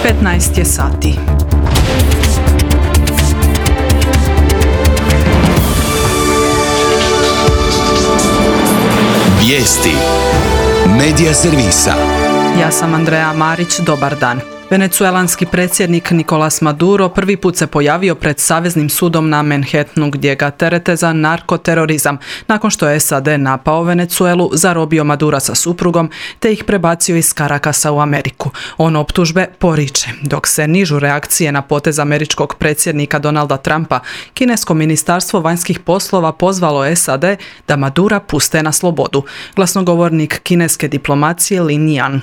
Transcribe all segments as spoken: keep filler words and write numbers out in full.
petnaest je sati. Vijesti Medija servisa. Ja sam Andreja Marić, dobar dan. Venecuelanski predsjednik Nicolas Maduro prvi put se pojavio pred Saveznim sudom na Manhattanu gdje ga terete za narkoterorizam, nakon što je S A D napao Venecuelu, zarobio Madura sa suprugom te ih prebacio iz Carakasa u Ameriku. On optužbe poriče, dok se nižu reakcije na potez američkog predsjednika Donalda Trumpa. Kinesko ministarstvo vanjskih poslova pozvalo S A D da Madura puste na slobodu. Glasnogovornik kineske diplomacije Lin Yan.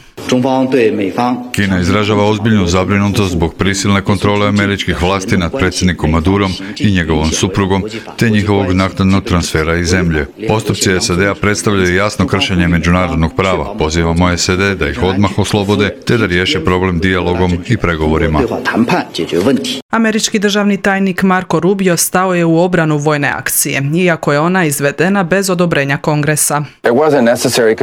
Kina izražava ozbiljnu zabrinutost zbog prisilne kontrole američkih vlasti nad predsjednikom Madurom i njegovom suprugom, te njihovog naknadnog transfera iz zemlje. Postupci S A D-a predstavljaju jasno kršenje međunarodnog prava. Pozivamo S A D da ih odmah oslobode, te da riješe problem dijalogom i pregovorima. Američki državni tajnik Marco Rubio stao je u obranu vojne akcije, iako je ona izvedena bez odobrenja Kongresa.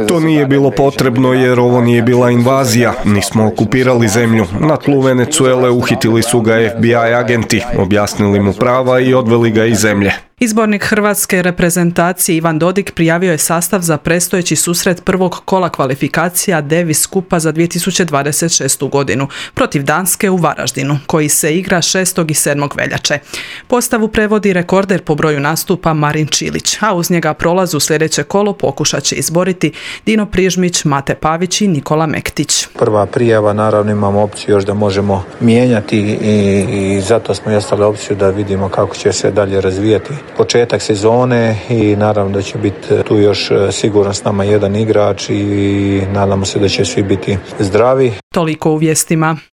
To nije bilo potrebno jer ovo nije bila invazija, nismo okupirali zemlju. Na tlu Venecuele uhitili su ga F B I agenti, objasnili mu prava i odveli ga iz zemlje. Izbornik hrvatske reprezentacije Ivan Dodig prijavio je sastav za predstojeći susret prvog kola kvalifikacija Davis Kupa za dvije tisuće dvadeset šestu godinu protiv Danske u Varaždinu, koji se igra šestog i sedmog veljače. Postavu prevodi rekorder po broju nastupa Marin Čilić, a uz njega prolaz u sljedeće kolo pokušat će izboriti Dino Prižmić, Mate Pavić i Nikola Mektić. Prva prijava, naravno imamo opciju još da možemo mijenjati i, i zato smo ostali opciju da vidimo kako će se dalje razvijati početak sezone i naravno da će biti tu još sigurno s nama jedan igrač i nadamo se da će svi biti zdravi. Toliko u vijestima.